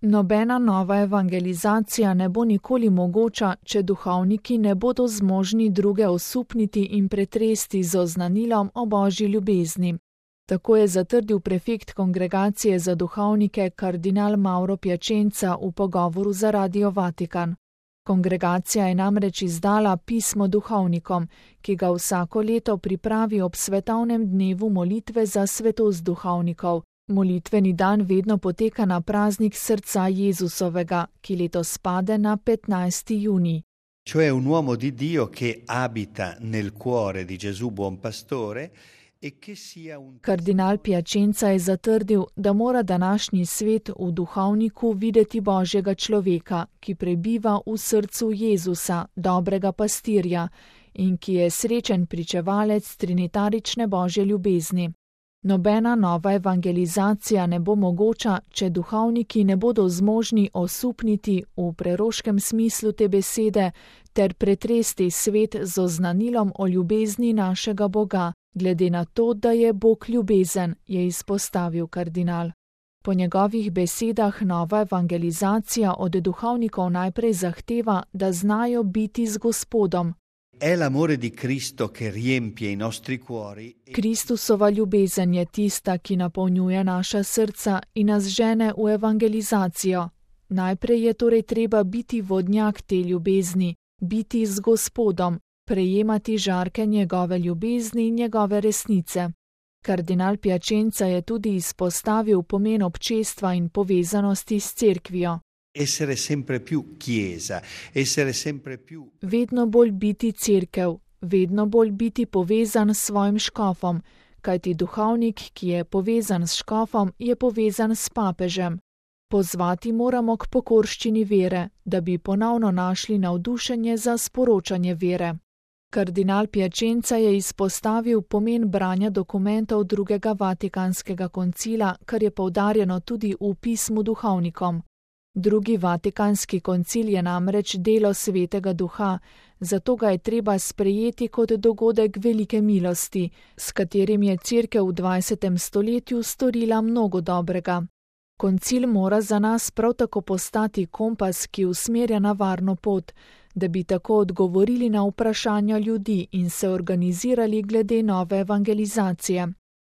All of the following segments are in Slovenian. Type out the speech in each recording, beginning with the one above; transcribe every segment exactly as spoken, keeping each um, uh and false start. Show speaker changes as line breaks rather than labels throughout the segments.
Nobena nova evangelizacija ne bo nikoli mogoča, če duhovniki ne bodo zmožni druge osupniti in pretresti z oznanilom o Božji ljubezni. Tako je zatrdil prefekt Kongregacije za duhovnike kardinal Mauro Piacenza v pogovoru za Radio Vatikan. Kongregacija je namreč izdala pismo duhovnikom, ki ga vsako leto pripravi ob svetovnem dnevu molitve za svetost duhovnikov. Molitveni dan vedno poteka na praznik srca Jezusovega, ki letos pade na petnajsti junij.
Cioè un uomo di Dio che abita nel cuore di Gesù buon pastore e che sia un...
Kardinal Piacenza je zatrdil, da mora današnji svet v duhovniku videti Božjega človeka, ki prebiva v srcu Jezusa, dobrega pastirja, in ki je srečen pričevalec trinitarične Božje ljubezni. Nobena nova evangelizacija ne bo mogoča, če duhovniki ne bodo zmožni osupniti v preroškem smislu te besede ter pretresti svet z oznanilom o ljubezni našega Boga, glede na to, da je Bog ljubezen, je izpostavil kardinal. Po njegovih besedah nova evangelizacija od duhovnikov najprej zahteva, da znajo biti z Gospodom.
È l'amore di Cristo che riempie i nostri cuori.
Kristusova ljubezen je tista, ki napolnjuje naša srca in nas žene v evangelizacijo. Najprej je torej treba biti vodnjak te ljubezni, biti z Gospodom, prejemati žarke njegove ljubezni in njegove resnice. Kardinal Piacenza je tudi izpostavil pomen občestva in povezanosti s cerkvijo.
Essere sempre più chiesa, essere sempre più...
Vedno bolj biti cerkev, vedno bolj biti povezan s svojim škofom, kajti duhovnik, ki je povezan s škofom, je povezan s papežem. Pozvati moramo k pokorščini vere, da bi ponovno našli navdušenje za sporočanje vere. Kardinal Piacenza je izpostavil pomen branja dokumentov drugega Vatikanskega koncila, kar je poudarjeno tudi v pismu duhovnikom. Drugi Vatikanski koncil je namreč delo Svetega Duha, zato ga je treba sprejeti kot dogodek velike milosti, s katerim je Cerkev v dvajsetem stoletju storila mnogo dobrega. Koncil mora za nas prav tako postati kompas, ki usmerja na varno pot, da bi tako odgovorili na vprašanja ljudi in se organizirali glede nove evangelizacije.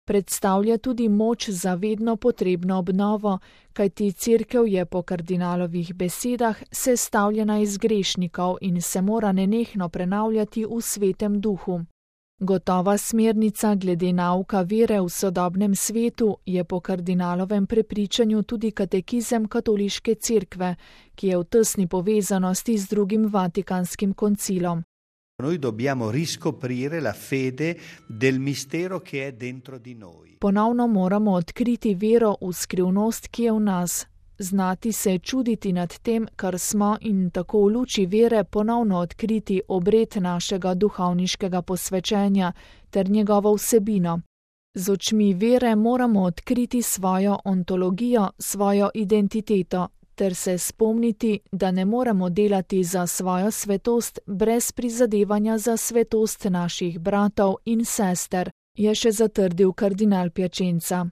Predstavlja tudi moč za vedno potrebno obnovo, kajti Cerkev je po kardinalovih besedah sestavljena iz grešnikov in se mora nenehno prenavljati v svetem duhu. Gotova smernica glede nauka vere v sodobnem svetu je po kardinalovem prepričanju tudi katekizem katoliške cerkve, ki je v tesni povezanosti z drugim Vatikanskim koncilom.
Noi dobbiamo riscoprire la fede del mistero che è dentro di noi.
Ponovno moramo odkriti vero v skrivnost, ki je v nas, znati se čuditi nad tem, kar smo, in tako v luči vere ponovno odkriti obred našega duhovniškega posvečenja ter njegovo vsebino. Z očmi vere moramo odkriti svojo ontologijo, svojo identiteto, ter se spomniti, da ne moremo delati za svojo svetost brez prizadevanja za svetost naših bratov in sester, je še zatrdil kardinal Piacenza.